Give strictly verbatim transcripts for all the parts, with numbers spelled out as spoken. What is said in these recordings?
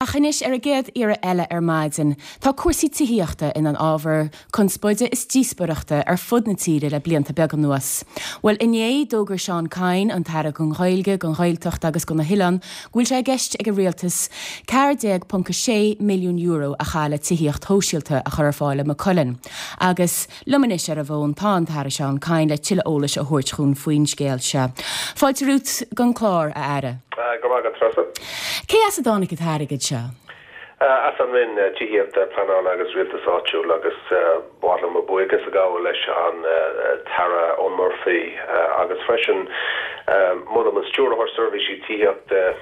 Ach anois ar an gcéad iarraidh eile ar maidin, tá cúrsaí tithíochta ina n-ábhar conspóide is díospóireachta ar fud na tíre le blianta beaga anuas. Bhuel inné d'fhógair Seán Kyne, an tAire don Ghaeilge, don Ghaeltacht agus do na hOileáin, go bhfuil sé i gceist ag an rialtas ceathair déag ponc a sé milliún euro a chaitheamh le tithíocht shóisialta a chur ar fáil i Maigh Cuilinn. Agus liom anois ar an bhfón tá an tAire Seán Kyne le tuilleadh eolais a thabhairt dhúinn faoin scéal seo. Fáilte romhat don chlár, a Aire. Go raibh maith agat, Treasa. Cé as a dtáinig an t-airgead seo? As an Roinn Tithíochta, Pleanála agus Rialtais Áitiúil agus ba mhaith liom mo bhuíochas a ghabháil leis an tAire Eoghan Murphy agus freisin molaim an Stiúrthóir Seirbhísí Tithíochta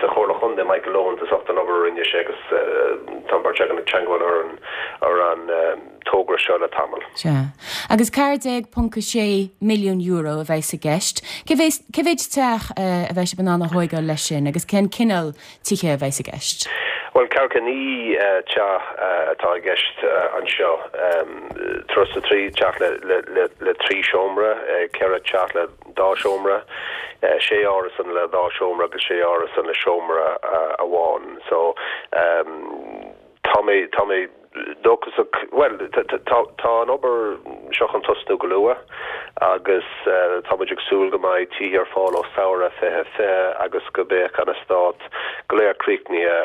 sa Chomhairle Chontae Michael Owens as ucht an obair a rinne sé agus tá an bheirt againn ag teagmháil ar an ar an togra seo le tamall. Sea. Agus ceathair déag ponc a sé milliún euro a bheas i gceist. Cé mhéid teach a bheidh sibh in ann a thógáil leis sin agus cén cineál tithe a bheas i gceist? Bhuel, ceathracha naoi teach atá i gceist anseo. Tríocha trí teach le trí seomra, ceithre teach le dá seomra, sé árasán le dhá seomra agus sé árasán le seomra amháin. So tá mé tá mé dóchasach well tá an obair seo chun tosnú go luath agus tá muid ag súil go mbeidh tithe ar fáil ó samhradh fiche fiche agus go mbeadh an eastát go léir críochnaithe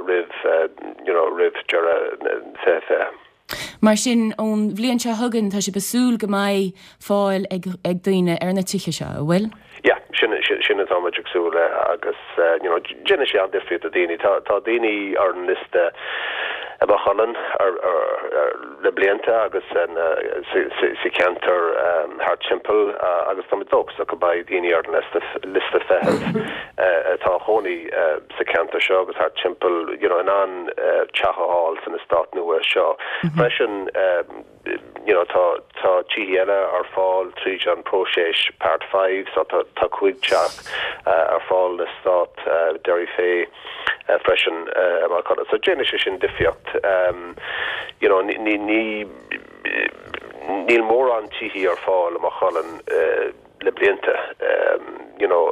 roimh you know roimh deireadh fiche fiche. Mar sin ón bhliain seo chugainn tá sibh ag súil go mbeidh fáil ag ag daoine ar na tithe seo, an bhfuil? Yeah, sin sin atá muid ag súil le agus you know déanfaidh sé an-difríocht do daoine. Tá tá daoine ar an liosta i Maigh Cuilinn ar ar le blianta agus sa cheantar thart timpeall agus tá muid dóchasach go mbeidh daoine ar an liosta liosta feithimh atá ina gcónaí sa cheantar seo agus thart timpeall you know in ann teach a fháil san eastát nua seo. Freisin you know tá tá tithe eile ar fáil tríd an próiseas Part Five so tá tá cúig teach ar fáil san eastát Derry Fay freisin mar so déanfaidh sé sin difríocht you know ní ní níl mórán tithe ar fáil i Maigh Cuilinn le blianta you know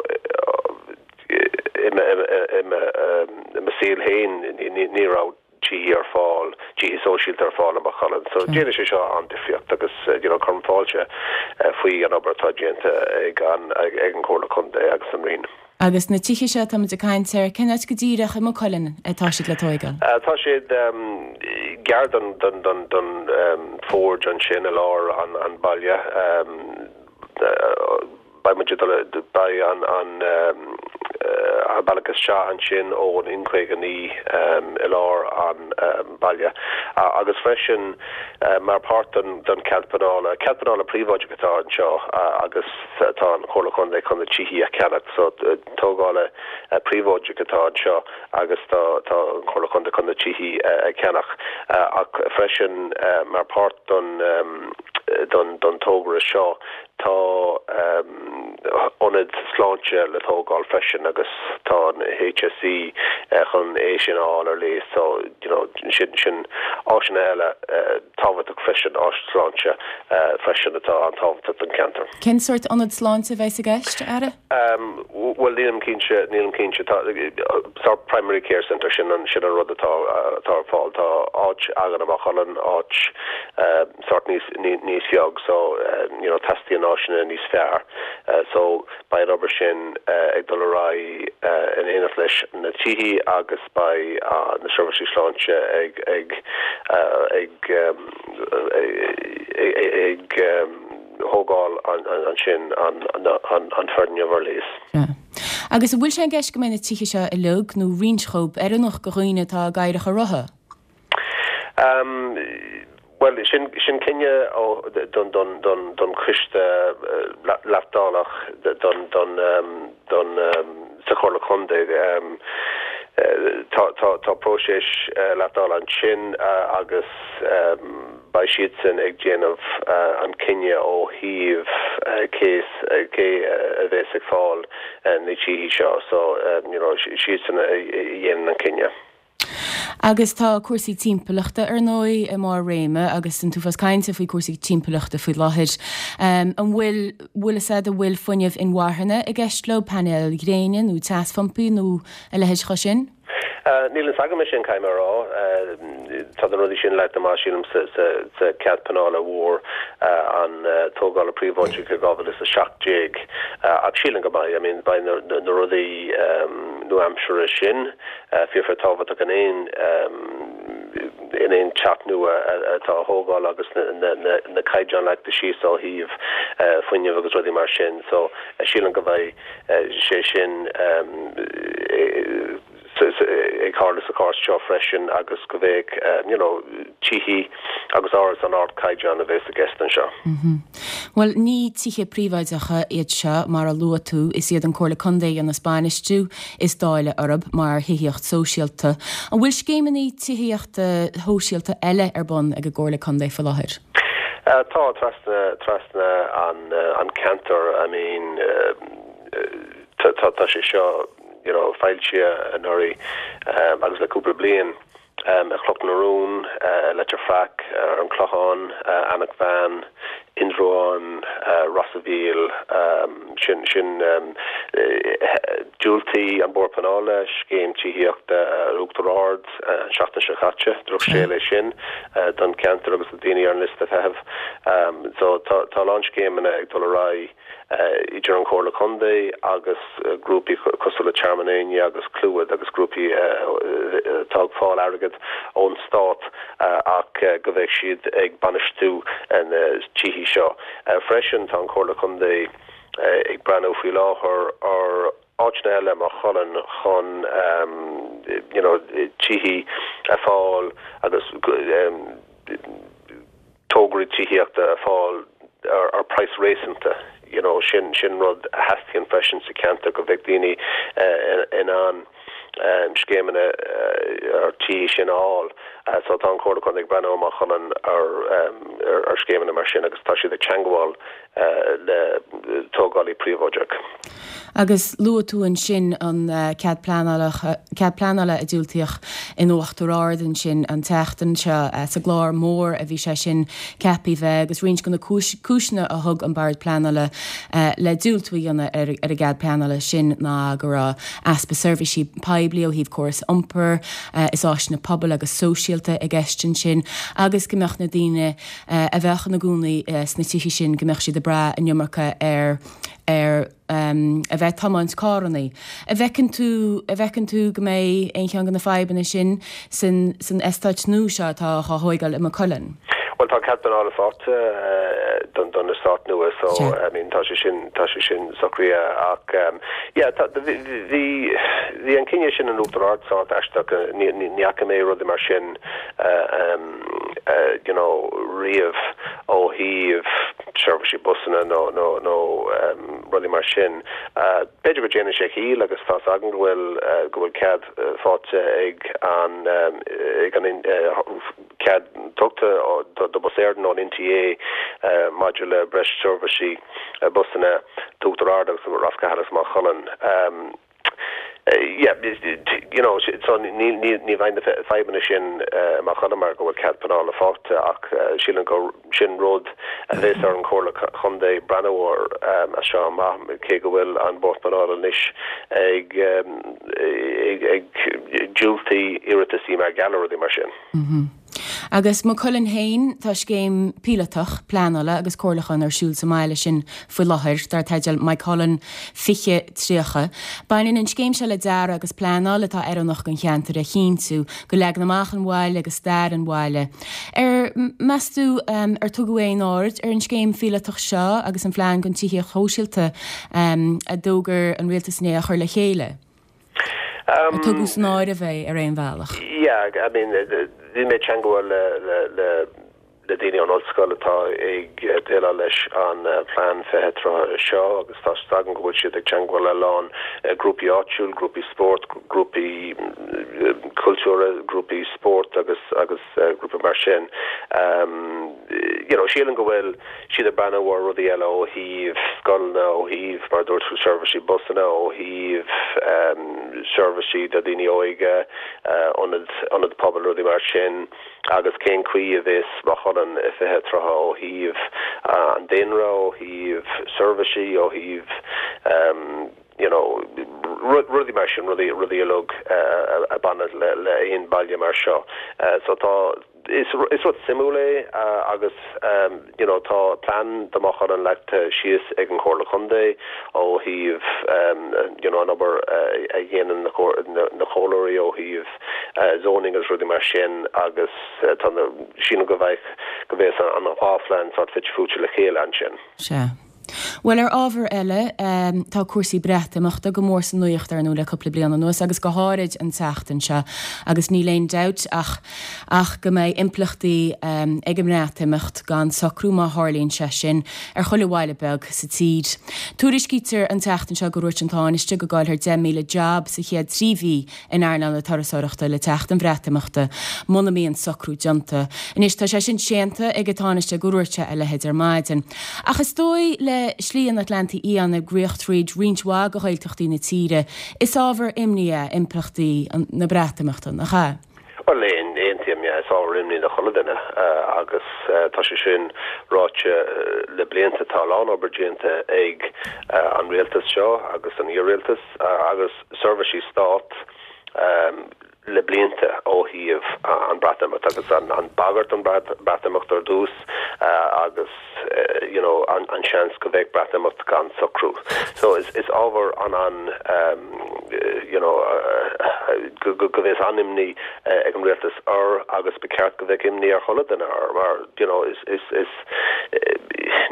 i mo shaol féin ní raibh tithe ar fáil tithe sóisialta ar fáil i Maigh Cuilinn. So déanfaidh sé seo an-difríocht agus you know cuirim fáilte faoi an obair atá déanta ag an ag an Chomhairle Contae agus an Roinn. Agus na tithe seo táimid ag caint air cén áit go díreach i Maigh Cuilinn atá siad le tógáil? Tá siad gar don don don don Forge ansin i lár an an baile. Beidh muid beidh an an an bealach isteach ansin ón N caoga naoi i lár an baile. agus freisin mar páirt den den cead pleanála, cead pleanála príobháideach atá anseo agus tá an Chomhairle Contae chun na tithe a cheannach so tógála príobháideach atá anseo agus tá tá an Chomhairle Contae chun na tithe a cheannach ach freisin mar páirt don don don togra seo tá ionad sláinte le tógáil freisin agus tá an HSE chun é sin a fháil ar léas so you know sin sin áiseanna eile tábhachtach freisin áis sláinte freisin atá an-tábhachtach don cheantar. Cén sórt ionad sláinte a bheas i gceist Aire? Well nílim cinnte nílim cinnte tá sort primary care center sin an sin an rud atá atá ar fáil tá áit againn i Maigh Cuilinn áit sort níos níos beag so you know teastaíonn áiseanna níos fearr so beidh an obair sin ag dul ar aghaidh in éineacht leis na tithe agus beidh na seirbhísí sláinte ag ag ag ag thógáil ansin an an foirgneamh ar léas. Agus an bhfuil sé i gceist go mbeidh na tithe seo uilig nó roinnt díobh oiriúnach do dhaoine atá i gcathaoireacha rotha? Um, Well sin sin cinneadh ó don don don don choiste leithdháileach don don don sa Chomhairle Contae tá tá tá próiseas leithdháileadh ansin agus beidh siadsan ag déanamh an cinneadh ó thaobh cé cé a bheas ag fáil na tithe seo so you know siadsan a dhéanann an cinneadh. Agus tá cúrsaí timpeallachta ar ndóigh i mbarr réime agus an t-uafás cainte faoi cúrsaí timpeallachta faoi láthair. Um, an bhfuil bhfuil a an bhfuil fuinneamh inmharthana i gceist leo painéil ghréine nó teasphumpa nó a leithéid de sin? Níl a fhios agam é sin caithfidh mé a rá. Tá na rudaí sin leagtha amach sílim sa chead pleanála mhór an tógála príobháideach i dhá mhíle is a seacht déag ach sílim go mbeidh, I mean beidh na rudaí nua-aimseartha sin fíor fíor tábhachtach in aon in aon teach nua atá á thógáil agus na caighdeáin leagtha síos ó thaobh fuinnimh agus rudaí mar sin so sílim go mbeidh sé sin ag tarlú sa chás seo freisin agus go mbeidh you know tithe agus árasáin ardchaighdeán a bheas i gceist anseo. Bhuel, ní tithe príobháideacha iad seo mar a luaigh tú, is iad an Comhairle Contae a dhéanas bainistiú is dáileadh orthu mar thithíocht sóisialta. An bhfuil scéimeanna tithíochta shóisialta eile ar bun ag an gComhairle Contae faoi láthair? Tá, trasna trasna an an ceantar, I mean tá tá sé seo you know foilsithe anuraidh agus le cúpla bliain i Cnoc na Rún, Leitir Fraic, ar an Chlochán, Eanach Mheáin, Indreabhán, Ros a' Mhíl, sin sin diúltaigh an Bord Pleanála scéim tithíochta ar Uachtar Ard an seachtain seo caite, drochscéal é sin don cheantar agus do daoine ar an liosta feithimh. So tá tá a lán scéimeanna ag dul ar aghaidh idir an Chomhairle Contae agus grúpaí cosúil le Tearmann Éinne agus Clúid agus grúpaí atá ag fáil airgead ón stát ach go bheidh siad ag bainistiú na tithe seo. Freisin tá an Chomhairle Contae ag breathnú faoi láthair ar áiteanna eile i Maigh Cuilinn chun you know tithe a fháil agus tograí tithíochta a fháil ar ar praghas réasúnta you know sin sin rud a theastaíonn freisin sa cheantar go bheidh daoine in ann scéimeanna ar tí sin a fháil. So tá an Chomhairle Contae ag breathnú i Maigh Cuilinn ar ar scéimeanna mar sin agus tá siad ag teagmháil le tógálaí príobháideach. Agus luaigh tú ansin an cead pleanála cead pleanála a diúltaíodh in Uachtar Ard ansin an tseachtain seo sa gclár mór a bhí sé sin ceaptha bheith agus roinnt de na cúiseanna a thug an Bord Pleanála le diúltú a dhéanamh ar ar an gcead pleanála sin ná go raibh easpa seirbhísí poiblí ó thaobh córas iompair is áiseanna pobail agus sóisialta i gceist ansin agus go mbeadh na daoine a bheadh ina gcónaí sna tithe sin go mbeadh siad ag brath an iomarca ar ar a bheith ag tiomáint carrannaí. An bhfeiceann tú an bhfeiceann tú go mbeidh aon cheann de na fadhbanna sin san san eastát nua seo atá á thóigeáil i Maigh Cuilinn? Bhuel tá cead pleanála faighte don don eastát nua so I mean tá sé sin tá sé sin socraithe ach yeah tá bhí bhí an cinneadh sin in Uachtar Ard sórt aisteach ní ní ní fhaca mé rudaí mar sin you know riamh ó thaobh seirbhísí busanna nó nó nó rudaí mar sin. B'fhéidir go déanann sé ciall agus tá agam go bhfuil go bhfuil cead faighte ag an ag an cead tugtha do Bus Éireann ón NTA maidir le breis seirbhísí busanna d'Uachtar Ard agus Ros Cathail agus Maigh Cuilinn. Yeah, you know, so ní ní ní bheidh na fadhbanna sin i Maigh Cuilinn mar go bhfuil cead pleanála faighte ach sílim go sin rud a bheas ar an Chomhairle Chontae breathnú air as seo amach cé go bhfuil an Bord Pleanála anois ag ag ag diúltú iarrataisí mar gheall ar rudaí mar sin. Agus Maigh Cuilinn féin, tá scéim píolótach pleanála agus comhairliúcháin ar siúl sa mbaile sin faoi láthair, dar teideal Moycullen fiche tríocha. Baineann an scéim seo le dearadh agus pleanáil atá oiriúnach don cheantar a chinntiú, do leagan amach an bhaile agus stair an bhaile. Ar meas tú ar tugadh aon aird ar an scéim phíolótach seo agus an phlean don tithíocht shóisialta a d'fhógair an rialtas inné á chur le chéile? Ar tugadh san áireamh é ar aon bhealach? Yeah, I mean, bhí mé ag teagmháil le le le le daoine ón ollscoil atá ag déileáil leis an plean fiche tríocha seo agus tá a fhios agam go bhfuil siad ag teagmháil le lán grúpaí áitiúil, grúpaí spóirt, grúpaí cultúrtha, grúpaí spóirt agus agus grúpaí mar sin. You know, sílim go bhfuil siad ag breathnú ar rudaí eile ó thaobh scoileanna, ó thaobh mar a dúirt tú seirbhísí busanna, ó thaobh seirbhísí do dhaoine óige, ionad ionad pobail, rudaí mar sin agus cén chaoi a bheas Maigh Cuilinn i fiche tríocha ó thaobh an daonra, ó thaobh seirbhísí, ó thaobh you know rudaí mar sin rudaí rudaí uilig a bhaineann le le aon baile mar seo so tá is is rud suimiúil é agus um, you know tá plean do Mhaigh Cuilinn leagtha síos ag an Chomhairle Contae ó thaobh um, you know an obair uh, a dhéanann na na comhairleoirí ó thaobh uh, zoning agus rudaí mar sin agus uh, tá sin go bheith go bheith an dhá phlean sort fite fuaite le chéile ansin. Sea. Well ar ábhar eile um, tá cúrsaí Breatimeachta go mór sa nuacht ar nó le cúpla bliain anuas agus go háirid an tseachtain seo agus níl aon dabht ach ach go mbeidh impleachtaí um, ag an mBreatimeacht gan socrú má tharlaíonn sé sin ar chuile bhaile beag sa tír. Tuairiscítear an tseachtain seo go ndúirt an Tánaiste go gcaillfear deich míle job sa chéad trí mhí in earnáil na turasóireachta le teacht an Bhreatimeachta muna mbíonn socrú déanta. Anois tá sé sin séanta ag an Tánaiste go ndúirt sé a leithéid ar maidin. Ach is dóigh le Slí an Atlantaigh Fhiáin ag rith tríd roinnt mhaith de Ghaeltachtaí na tíre, is ábhar imní é impleachtaí na Breatimeachta nach ea. Well aontaím is ábhar imní do chuile dhuine agus tá sé sin ráite le blianta tá an-obair déanta ag an rialtas seo agus an iar-rialtas agus seirbhísí stát um, le blianta ó thaobh an Breatimeacht agus an, an bagairt an Breatimeacht ar dtús uh, agus uh, you know, an, an seans go bheith Breatimeacht gan socrú. So is, is ábhar an an um, you know, uh, go, go, go bheith an-imní uh, ag an rialtas ar agus ba cheart go bheith imní ar chuile dhuine ar mar you know, is, is, is, uh,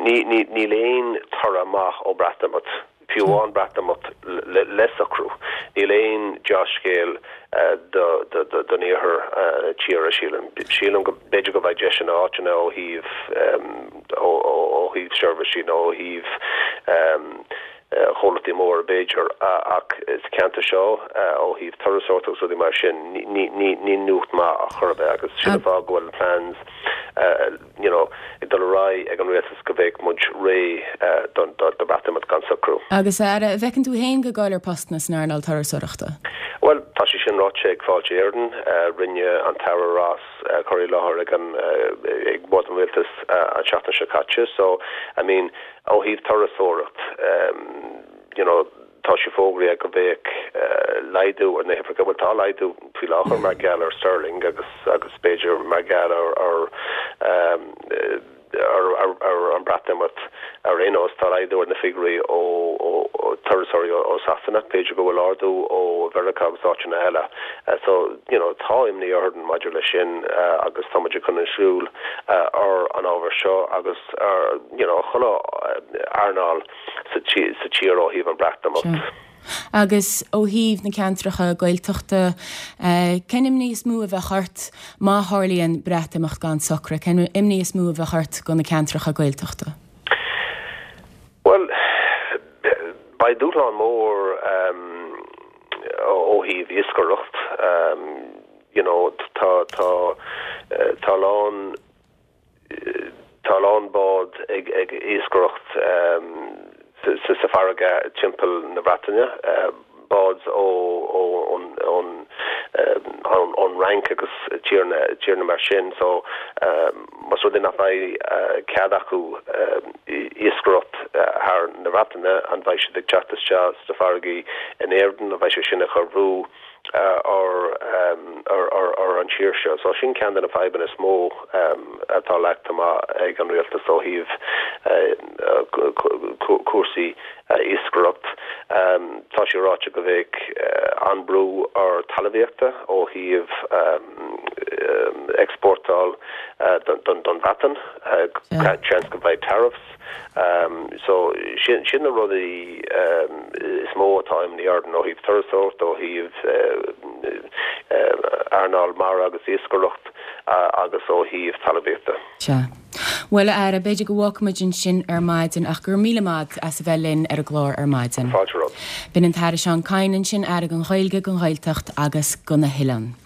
ní, ní, níl aon toradh maith ó Breatimeacht fiú amháin Breatimeacht le, le socrú. Níl aon dea-scéal uh, don iarthar uh, tíre sílim. Sílim go b'fhéidir go bheidh deis in áiteanna ó thaobh um, ó thaobh seirbhísí nó ó thaobh um, chomhlachtaí mór b'fhéidir ach sa cheantar seo ó thaobh turasóireacht agus rudaí mar sin ní nuacht maith a chur agus sin an fáth go bhfuil plans you know ag dul ar ag an rialtas go bheidh muid réidh don do Breatimeacht gan socrú. Agus ar bhfeiceann tú féin go gcaillfear postanna san earnáil turasóireachta? Well tá sé sin ráite ag Fáilte Éireann rinne an tAire Ross cur i láthair ag an ag bord an rialtas an seachtain seo caite, so I mean ó thaobh turasóireacht um, you know tá sé fógraithe go bheidh uh, laghdú ar na huimhreacha bhfuil tá laghdú faoi láthair mar gheall ar sterling agus agus b'fhéidir mar gheall ar ar um, ar ar ar an Breatimeacht ar aon nós tá laghdú ar na figiúirí ó ó turasóirí ó Sasana b'fhéidir go bhfuil ardú ó Mheiriceá agus áiteanna eile. Uh, so you know tá imní orainn maidir le sin uh, agus tá muid chun súil uh, ar an ábhar seo agus ar you know chuile earnáil sa sa tír ó thaobh an Breatimeacht. Agus ó thaobh na ceantracha Gaeltachta cén imní is mó a bheadh ort má tharlaíonn Breatimeacht gan socrú, cén imní is mó a bheadh ort do na ceantracha Gaeltachta. Well beidh dúshlán mór um, ó thaobh iascaireacht um, you know tá tá tá lán tá lán bád ag ag iascaireacht um, sa sa farraige timpeall na Breataine uh, bád ó ó ón ón ón ón Fhrainc agus tíortha tíortha mar sin so um, más rud é nach mbeidh uh, cead acu um, iascaireacht uh, thar na Breataine an bheidh siad ag teacht isteach sna farraigí in Éirinn a bheidh sé sin ag cur brú uh, ar um, ar ar ar an tír seo so sin ceann de na fadhbanna is mó um, atá leagtha amach ag an rialtas ó thaobh uh, cúrsaí uh, iascaireacht. Um, tá sé ráite go bheidh uh, an-bhrú ar talmhaíochta ó thaobh um, um, exportáil uh, don, don, don Bhreatain uh, seans go mbeidh tariffs. Um, so sin sin na rudaí um, is mó atá imní orainn ó thaobh turasóireacht ó thaobh uh, uh, earnáil mara agus iascaireacht uh, agus ó thaobh talmhaíochta. Sea. Well Aire b'fhéidir go bhfágfaimid ansin ar maidin ach gur míle maith as a bheith linn ar an gclár ar maidin. Fáilte. B'in an tAire Seán Kyne ansin Aire don Ghaeilge don Ghaeltacht agus do na hOileáin.